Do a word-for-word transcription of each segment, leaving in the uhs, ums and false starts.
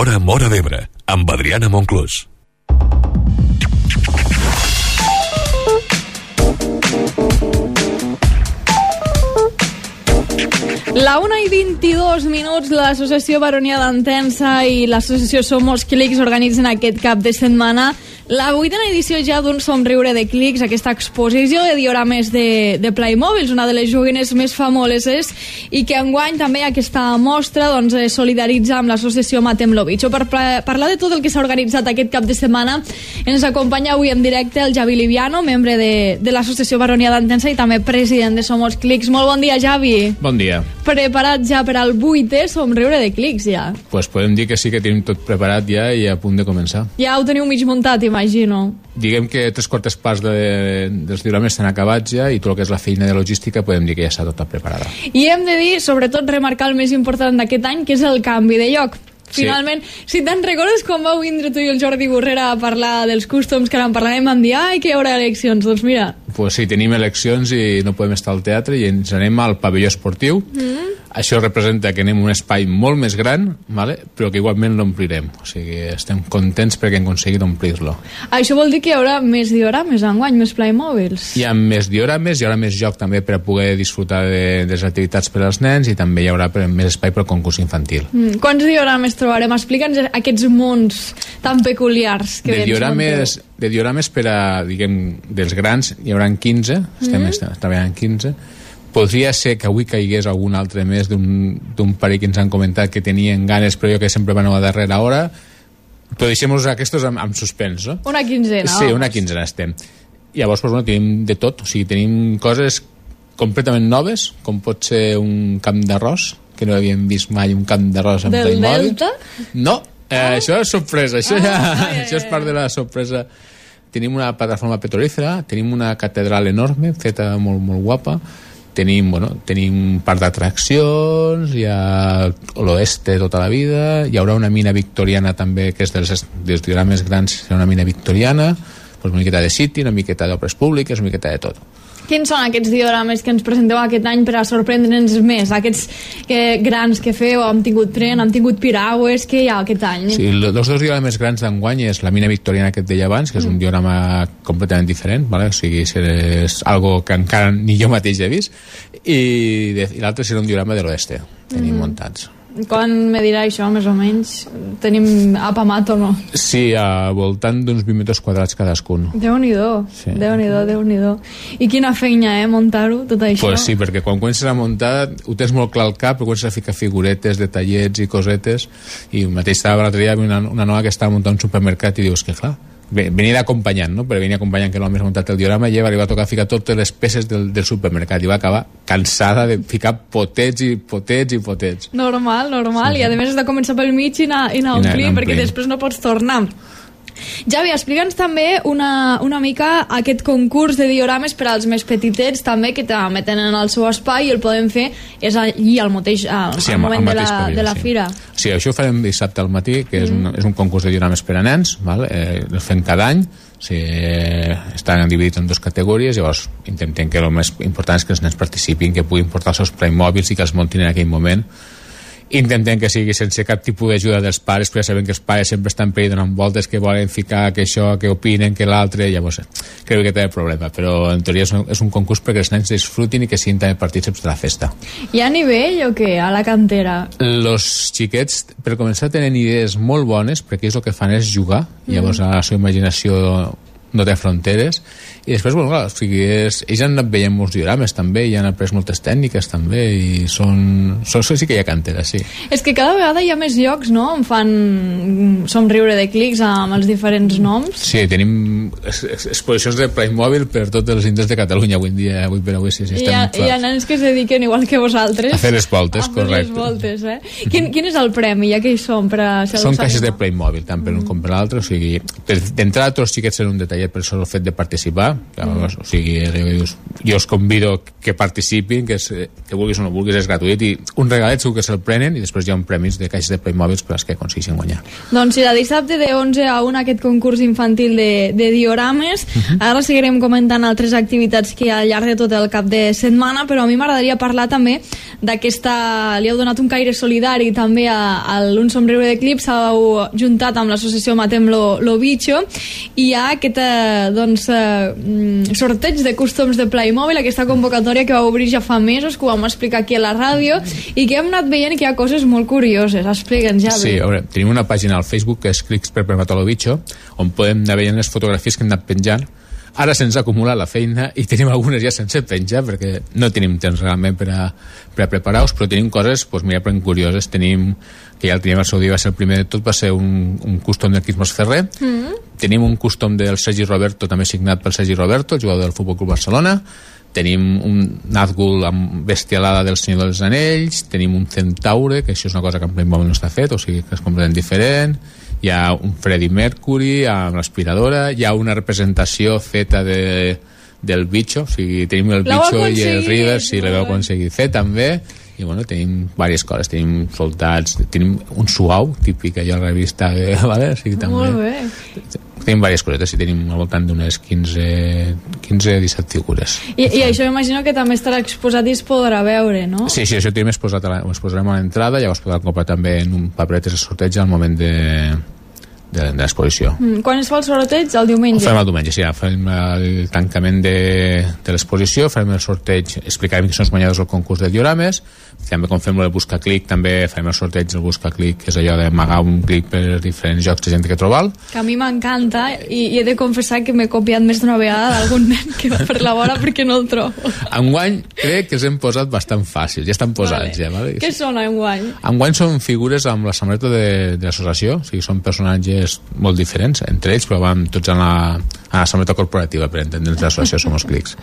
L'Hora Móra d'Ebre, amb Adriana Monclús. La una i vint-i-dos minuts, l'Associació Baronia d'Entença i l'Associació Somos Clics organitzen aquest cap de setmana la vuitena edició ja d'un Somriure de Clics, aquesta exposició de diorames de, de Playmobil, una de les joguines més famoses, i que enguany també aquesta mostra doncs, solidaritza amb l'associació Matem lo Bicho. Per parlar de tot el que s'ha organitzat aquest cap de setmana ens acompanya avui en directe el Javi Liviano, membre de, de l'Associació Baronia d'Entença i també president de Somos Clics. Molt bon dia, Javi. Bon dia. Preparat ja per al vuitè Somriure de Clics, ja? Pues podem dir que sí que tenim tot preparat ja i a punt de començar. Ja ho teniu mig muntat, imagino. Diguem que tres quartes parts de, dels diorames estan acabats ja i tot el que és la feina de logística podem dir que ja està tota preparada. I hem de dir, sobretot, remarcar el més important d'aquest any, que és el canvi de lloc. Finalment, sí. Si te'n recordes quan vau vindre tu i el Jordi Borrera a parlar dels cústoms, que ara en parlarem, vam dir, ai, que hi haurà eleccions. Doncs mira... Pues sí, tenim eleccions i no podem estar al teatre i ens anem al pavelló esportiu. Mm. Això representa que anem a un espai molt més gran, vale? Però que igualment l'omplirem. O sigui, estem contents perquè hem aconseguit omplir-lo. Això vol dir que hi haurà més diorames enguany, més Playmobils? Hi ha més diorames, hi haurà més joc també per a poder disfrutar de, de les activitats per als nens i també hi haurà més espai per al concurs infantil. Mm. Quants diorames trobarem? Explica'ns aquests mons tan peculiars que de diorames, de diorames per a, diguem, dels grans hi haurà quinze, estem mm. treballant quinze. Podria ser que avui caigués algun altre més d'un parell que ens han comentat que tenien ganes, però jo que sempre van a la darrera hora. Però deixem-los aquests amb, amb suspens, no? Una quinzena. Sí, una quinzena estem. Llavors, pues, bueno, tenim de tot. O sigui, tenim coses completament noves, com pot ser un camp d'arròs, que no havíem vist mai un camp d'arròs amb Playmobil. Del Delta? No, eh, ah. això és sorpresa. Això, ah, ja, ah, ja, ja, això és part de la sorpresa. Tenim una plataforma petrolífera, tenim una catedral enorme, feta molt, molt guapa. Tenim, bueno, tenim un parc d'atraccions, hi ha l'oeste tota la vida, hi haurà una mina victoriana també, que és dels, dels diorames grans, serà una mina victoriana, doncs una miqueta de City, una miqueta d'obres públiques, una miqueta de tot. Quins són aquests diorames que ens presenteu aquest any per a sorprendre'ns més? Aquests que, grans que feu, hem tingut tren, hem tingut piragües, què hi ha aquest any? Sí, els dos diorames grans d'enguany és la mina victoriana que et deia abans, que és un diorama completament diferent, vale? O sigui, és algo que encara ni jo mateix he vist, i, i l'altre serà un diorama de l'oeste, tenim mm. muntats. Quan me dirà això, més o menys? Tenim apamat o no? Sí, a voltant d'uns vint metres quadrats cadascun. Déu-n'hi-do, sí. Déu-n'hi-do, Déu-n'hi-do. I quina feina, eh, muntar-ho, tot això? Pues sí, perquè quan comences a muntar ho tens molt clar al cap, però comences a ficar figuretes, detallets i cosetes, i el mateix estava l'altre dia una, una nova que estava muntant un supermercat i dius que clar, venia acompanyant, no? Però venia acompanyant que no m'ha muntat el diorama i li va tocar ficar totes les peces del, del supermercat i va acabar cansada de ficar potets i potets i potets. Normal, normal, sí, i a més has de començar pel mig i anar, i anar omplir, perquè després no pots tornar. Javi, explica'ns també una, una mica aquest concurs de diorames per als més petitets també, que també tenen el seu espai i el podem fer és allí al mateix, al, sí, al moment al de la, període, de la sí. fira. Sí, això ho farem dissabte al matí, que és, mm. un, és un concurs de diorames per a nens, val? Eh, el fem cada any, sí, eh, estan dividits en dues categories, llavors intentem que el més important és que els nens participin, que puguin portar els seus Playmobils i que els muntin en aquell moment. Intentem que sigui sense cap tipus d'ajuda dels pares, perquè sabem que els pares sempre estan per ahí donant voltes, que volen ficar que això, que opinen, que l'altre, llavors crec que té el problema, però en teoria és un, és un concurs perquè els nens disfrutin i que siguin també partícips de la festa. Hi ha nivell o què, a la cantera? Los xiquets, per començar, tenen idees molt bones, perquè ells el que fan és jugar, mm. llavors a la seva imaginació no té fronteres, i després, bueno, clar, o sigui, és, ells han anat veient molts diorames també, i han après moltes tècniques també, i són, són, sí que hi ha cantera, sí. És que cada vegada hi ha més llocs, no?, on fan Somriure de Clics amb els diferents noms. Sí, tenim exposicions de Playmobil per tots els indrets de Catalunya avui en dia, avui per avui, sí, sí, estem hi ha, hi ha nens que se dediquen igual que vosaltres a fer les voltes, a correcte. A fer les voltes, eh? Quin, quin és el premi? Ja que hi som per a... Són caixes de Playmobil, tant per un com per l'altre, o sigui, d'entrada tots els xiquets tenen un detallet ja per això el fet de participar, que, mm. o sigui, jo us convido que participin, que, és, que vulguis o no vulguis, és gratuït, i un regalet segur que se'l prenen, i després hi ha un premis de caixes de Playmobil per als que aconsegueixen guanyar. Doncs sí, de dissabte de onze a una aquest concurs infantil de, de diorames. Uh-huh. Ara seguirem comentant altres activitats que hi ha al llarg de tot el cap de setmana, però a mi m'agradaria parlar també d'aquesta... Li heu donat un caire solidari també a, a l'Un Somriure de Clips, s'heu juntat amb l'associació Matem lo, lo Bicho, i hi ha aquest eh, doncs, eh, sorteig de cústoms de Playmobil, aquesta convocatòria que va obrir ja fa mesos, que ho vam explicar aquí a la ràdio, i que hem anat veient que hi ha coses molt curioses. Explica'ns, ja. Sí, a veure, tenim una pàgina al Facebook que és Clics per Matar lo Bicho, on podem anar veient les fotografies que hem anat penjant. Ara se'ns ha acumulat la feina i tenim algunes ja sense penjar perquè no tenim temps realment per a, per a preparar-los, però tenim coses pues, mira, ben curioses. Tenim, que ja el teníem al seu dia, va ser el primer de tot, va ser un, un custom del Quismos Ferrer. Mm. Tenim un custom del Sergi Roberto, també signat pel Sergi Roberto, el jugador del Futbol Club Barcelona. Tenim un Nazgul amb bestialada del Senyor dels Anells. Tenim un Centaure, que això és una cosa que en Playmobil no està fet, o sigui que és completament diferent. Hi ha un Freddie Mercury amb l'aspiradora, hi ha una representació feta de, del Bicho, o sigui, tenim el Bicho i el River, sí, la vau aconseguir fer també, i bueno, tenim diverses coses, tenim soldats, tenim un suau, típic allò a la revista, eh, vale? O sigui, també, molt bé. Tenim diverses cosetes i tenim al voltant d'unes quinze a disset figures. I, i això m'imagino que també estarà exposat i es podrà veure, no? Sí, sí, això tenim exposat, a la, ho exposarem a l'entrada, llavors podrà comprar també en un paperet de sorteig al moment de de, de l'exposició. Mm, quan es fa el sorteig? El diumenge? Ho fem el diumenge, sí, ja fem el tancament de, de l'exposició, farem el sorteig, explicarem qui són els guanyadors del concurs de diorames, també com fem el busca-clic, també farem el sorteig del busca-clic, que és allò d'amagar un clic per diferents jocs de gent que trobal. Que a mi m'encanta, i, i he de confessar que m'he copiat més d'una vegada d'algun nen que va per la vora perquè no el trobo. Enguany crec que els hem posat bastant fàcils, ja estan posats. Vale. Ja, vale? Què són enguany? Enguany són figures amb la samarreta de, de l'associació, o sigui, són personatges molt diferents entre ells, però van tots a la, a la samarreta corporativa, per entendre'ns l'associació Somos Clics.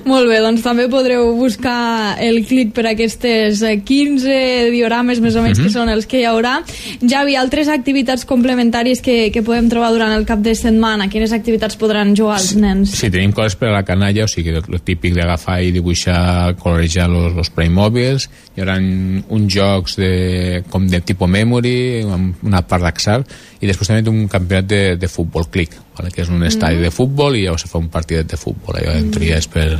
Molt bé, doncs també podreu buscar el clic per aquestes quinze diorames més o menys, mm-hmm, que són els que hi haurà. Javi, altres activitats complementàries que, que podem trobar durant el cap de setmana? Quines activitats podran jugar els nens? Sí, tenim coses per a la canalla, o sigui, el típic d'agafar i dibuixar, colorejar los, los Playmobils. Hi haurà uns jocs de, com de tipus memory, amb una part d'Excel, i després també un campionat de, de futbol clic, vale? Que és un estadi mm. de futbol i llavors se fa un partidet de futbol, allò en teoria és per,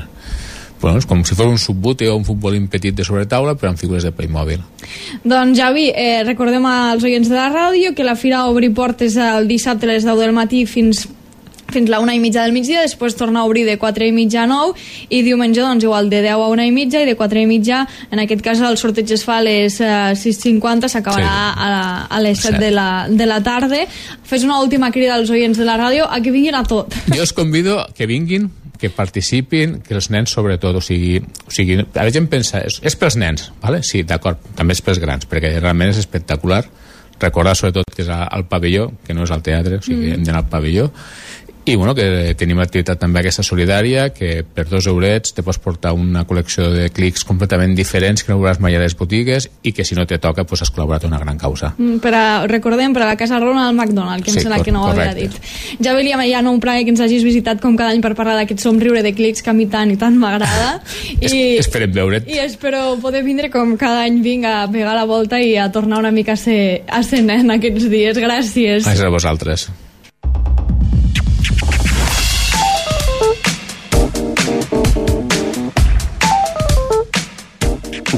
bueno, és com si fos un subbute o un futbolín petit de sobretaula però amb figures de Playmobil. Doncs Javi, eh, recordem als oients de la ràdio que la fira obri portes el dissabte a les deu del matí fins fins la una i mitja del migdia, després torna a obrir de quatre i mitja a nou, i diumenge doncs igual de deu a una i mitja, i de quatre i mitja, en aquest cas el sorteig es fa a les uh, sis cinquanta, s'acabarà sí. a, a les set de la, de la tarda. Fes una última crida als oients de la ràdio a que vinguin a tot. Jo us convido que vinguin, que participin, que els nens sobretot, o sigui, o sigui a la gent pensa, és, és pels nens, vale? Sí, d'acord, també és pels grans, perquè realment és espectacular. Recordar sobretot que és al pavelló, que no és al teatre, o sigui, mm. hem d'anar al pavelló. I bueno, que tenim l'activitat també aquesta solidària, que per dos eurets te pots portar una col·lecció de clics completament diferents que no veuràs mai a les botigues, i que si no te toca pues has col·laborat una gran causa. Mm, per a, recordem, per a la Casa Ronald McDonald, que sí, em sembla que no ho havia dit. Ja William, ja no un plaer que ens hagis visitat com cada any per parlar d'aquest somriure de clics que a mi tant i tant m'agrada. I esperem veure't. I espero poder vindre com cada any vinc a pegar la volta i a tornar una mica a ser, a ser nen aquests dies. Gràcies. Gràcies a vosaltres.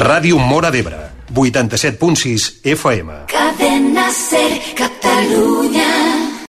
Ràdio Móra d'Ebre, vuitanta-set punt sis F M. Cadena Ser, Catalunya.